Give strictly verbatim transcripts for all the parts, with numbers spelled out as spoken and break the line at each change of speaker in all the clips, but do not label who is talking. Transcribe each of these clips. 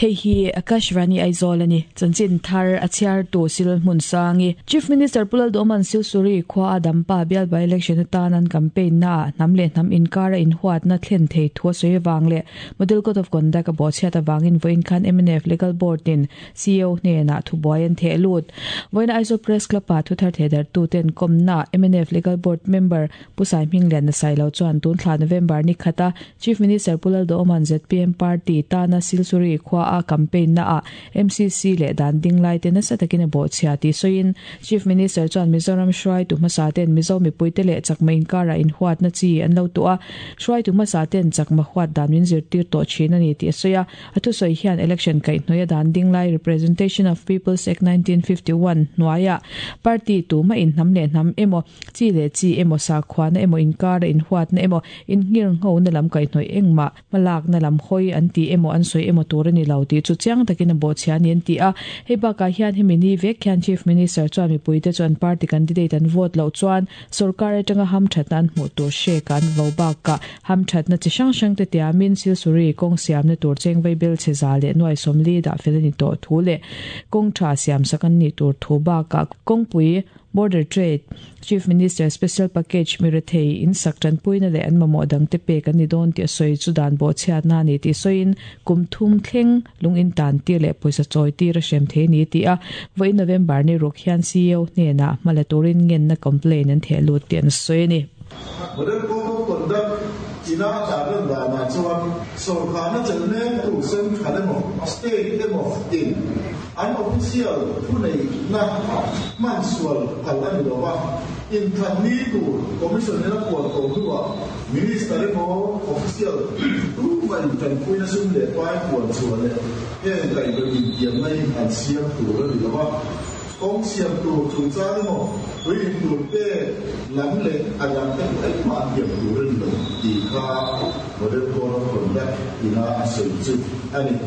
Hei hi Akashvani Aizawl ani chanchin thar a chhiar tu sil hmun sangi Chief Minister Pu Lalduhoma'n Silsuri khua a Dampa bial by election atan an campaign na hnam leh hnam inkara inhuat na thlen thei thu a sawi awang leh Model Code of Conduct a bawhchhiat awangin vawiin khan M N F Legal Board in C E O hnenah thubuai an theh lut. Vawiin Aizawl Press Club ah thu thar theh dar tu ten kawmna M N F Legal Board member Pu Sai Hming Lian Sailo chuan tun thla November ni khata Chief Minister Pu Lalduhoma'n Z P M Party tana Silsuri khua a campaign na a M C C leh dan ding lai te nasa takin a bawhchhia tih sawiin Chief Minister chuan Mizoram hruai tu hmasa ten Mizo mipui te leh chakma inkara inhuat na chi an lo tu a hruai tu hmasa ten chakma huat dan min zirtir tawh thin ani tih a sawi a a thusawi hian election kaihhnawih a dan ding lai Representation of People's Act nineteen fifty-one hnuaia party tu ma in hnam leh hnam emaw chi leh chi emaw sakhua na emaw inkara inhuat na emaw inngir ngho na lam kaihhnawih engmah hmalak na lam hawi an ti emaw an sawi emaw tur ani lo tih chu chiang takin a bawhchhia ani an ti a hei bakah hian hemi ni vek hian Chief Minister chuan mipui te chuan party candidate an vote loh chuan sarkar atanga ham thatna an hmuh tur hrek an vo bakah ham thatna chi hrang hrang te tiamin Silsuri kawng siamna tur chengvei bel che za leh nuai sawmli dah fel ani tawh thu leh kawng tha siam sak an nih tur thu bakah kawngpui Border Trade Chief Minister Special Package Mirathei in sak tan puina leh an mamawh dang te pek an ni dawn tih a sawi chu dan bawhchhiat na ani tih sawiin kum thum thleng lung in tan tir leh pawisa chawi tir a hrem thei ni tih a vawiin November ni ruk hian C E O hnenah hmala turin ngenna complaint an theh lut tih an sawi ani.
Model Code of Conduct ina tarlan danah chuan sorkarna chelhne tu central emaw state emaw in an official thu nei na hman sual phal ani lo va in thlan ni tur commission ina puan tawh hnuah minister emaw official tu ma in tanpuina sum leh pai puan chhuah leh heng kaihhnawih intiamna hi an siam tur ani lo va kawng siam tur chungchang emaw tui in tur te lam leh a dang te engmah an tiam tur ani lo tih kha Model Code of Conduct ina a sawi chu ani.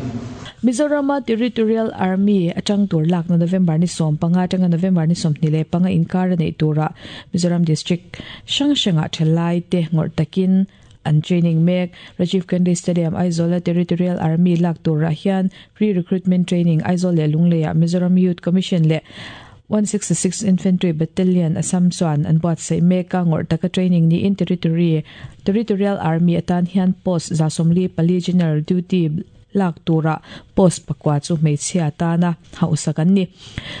Mizoram Territorial Army atang tur lak na November ni som panga atanga November ni som ni le panga inkar nei tura Mizoram District hrang hranga thalai te ngor takin an training mek Rajiv Gandhi Stadium Aizawl Territorial Army lak tura hian pre-recruitment training Aizawl le Lungleia Mizoram Youth Commission le one sixty-six Infantry Battalion Assam chuan an buatsaih mek a ngawrh taka training ni in territory Territorial Army atan hian post za sawmli pali general duty lak tura post pakwa chu hmeichhia tana hausak an ni.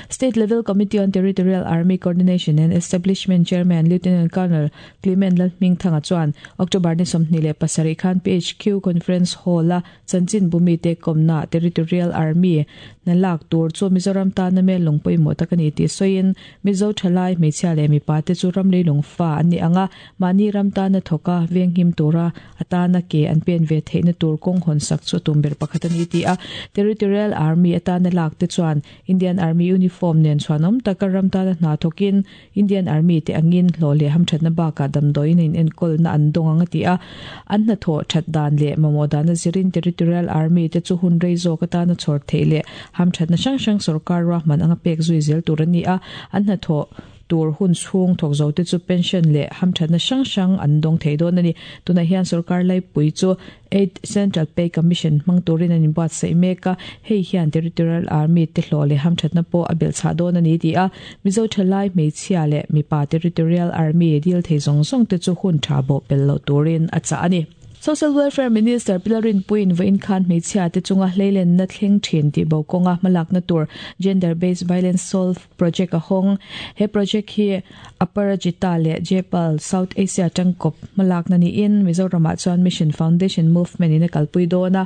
State Level Committee on Territorial Army Coordination and Establishment Chairman Lieutenant Colonel Clement Lalhmingthanga chuan October ni sawmhnih leh pasarih khan P H Q Conference Hall a chanchin bumi te kawmna Territorial Army na lak tur chu Mizoram tana mel lung pawimawh tak ani tih sawiin Mizo thalai hmeichhia leh mipa te chu ram leilung fa an ni anga mahni ram tana thawka venghim tura atana ke an pen ve theihna tur kawng hawn sak chu tum ber pakhat ani ti a Territorial Army atana lak te chuan Indian Army uniform nen chuanom taka ram tana hna thawkin Indian Army te angin hlawh leh hamthatna bakah damdawiin in enkawl na an dawng anga ti a an hna thawh that dan leh mamawh dana zirin Territorial Army te chu hun rei zawk atana chhawr theih leh hamthatna hrang hrang sarkar ruahman anga pek zui zel tur ani a an hna thawh tur hun chhung thawk zo te chu pension leh hamthatna hrang hrang an dawng thei dawn ani tunah hian sarkar laipui chu eight Central Pay Commission hmang turin an inbuatsaih mek a hei hian Territorial Army te hlawh leh hamthatna pawh a belh chhah dawn ani ti a Mizo thalai hmeichhia leh mipa Territorial Army dil thei zawng zawng te chu hun tha bawh pel loh turin a chah ani. Social Welfare Minister Pilarin Puin vawiin khan hmeichhia te chunga hleilen na thleng thin tih bo kawnga hmalak na tur Gender Based Violence Solve Project a hawng he project hi Aparajita leh Jepal South Asia tangkawp hmalak na niin Mizoramah chuan Mission Foundation Movement in a kalpui dawn a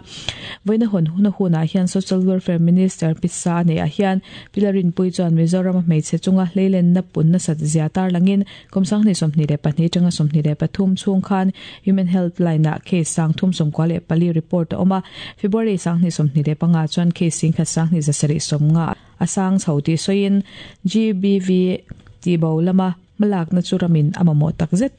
vawiin a hawn huna hunah hian Social Welfare Minister Pisa nei ah hian Pilarin Pui chuan Mizoram hmeichhe chunga hleilen na pun na sat zia tar langin kum sanghnih sawmhnih leh pahnih tanga sawmhnih leh pathum chhung khan Human Helpline ah case sang thum sawmkua leh pali report a awm a February sanghnih sawmhnih leh panga chuan case singkhat sanghnih zasarih sawmnga a sang chho tih sawiin G B V tih bo lama hmalak na chu ramin a mamawh takzet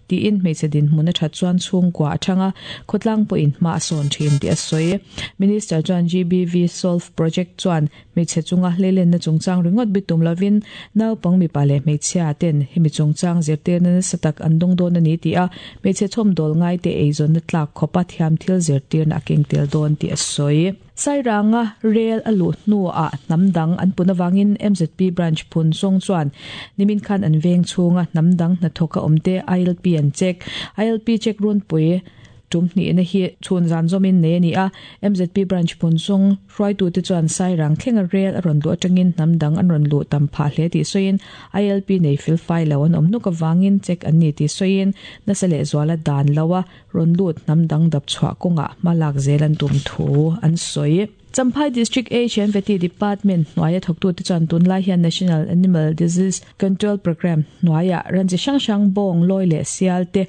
tiin hmeichhe dinhmun a that chuan chhungkua a thanga khawtlang pawhin hma a sawn thin tih a sawi Minister chuan G B V Solve Project chuan hmeichhe chunga hleilenna chungchang ringawt bitum lovin naupang mipa leh hmeichhia ten hemi chungchang zirtirna nasa tak an dawng dawn ani ti a hmeichhe chhawmdawl ngai te eizawnna tlak khawpa thiam thil zirtirna a keng tel dawn tih a sawi. Sairanga rail alu hnu a namdang an punawangin M Z P branch phun song chuan nimin khan an veng chunga namdang na thoka omte I L P an check. I L P check run pui tum ni na hi chun zan zomin ne ni a. M Z P branch phun song hroi tu te chuan Sairang thlenga rail a ron lu atangin namdang an ron lu tam pha hle ti soin, I L P nei fil fai lo an om nuka wangin check an ni ti soin, na sale zwala dan lawa ron lut namdang dap chwa konga malak zelan tum thu an soi. Champhai District H and Veti Department hnuaia thawktu te chuan tunlai hian National Animal Disease Control Program hnuaia ranchi hrang hrang bawng lawi leh sial te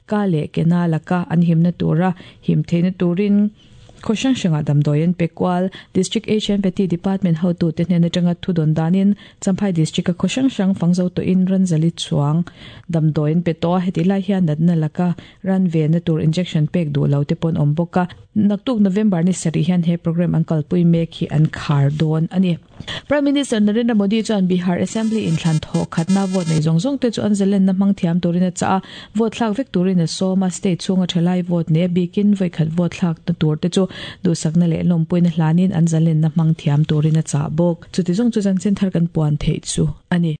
ka leh kena laka an himna tura him theihna turin khaw hrang hranga damdawi an pe kual. District H and Veti Department hotu te hnen atanga thu dawn danin Champhai District a khaw hrang hrang fangzo to in ranzali chuang damdawi an pe to. Heti lai hian natna laka ran ve na tur injection pek du lo te pawn awm bawk a. Naktuk November ni sari hian he program an kalpui mek hi an khar dawn ani. Prime Minister Narendra Modi chuan Bihar Assembly in thlan tho khatna vote nei zong zong te chu an zalen na hmang thiam turin a cha, vote thlak vek turin a soma. State chunga thalai vote ne bikin voi khat vote thlak na tur te chu du sakna le lompuina hlanin an zalen na hmang thiam turin a cha bawk. Chuti zong chu chan chin thar kan puan thei chu ani.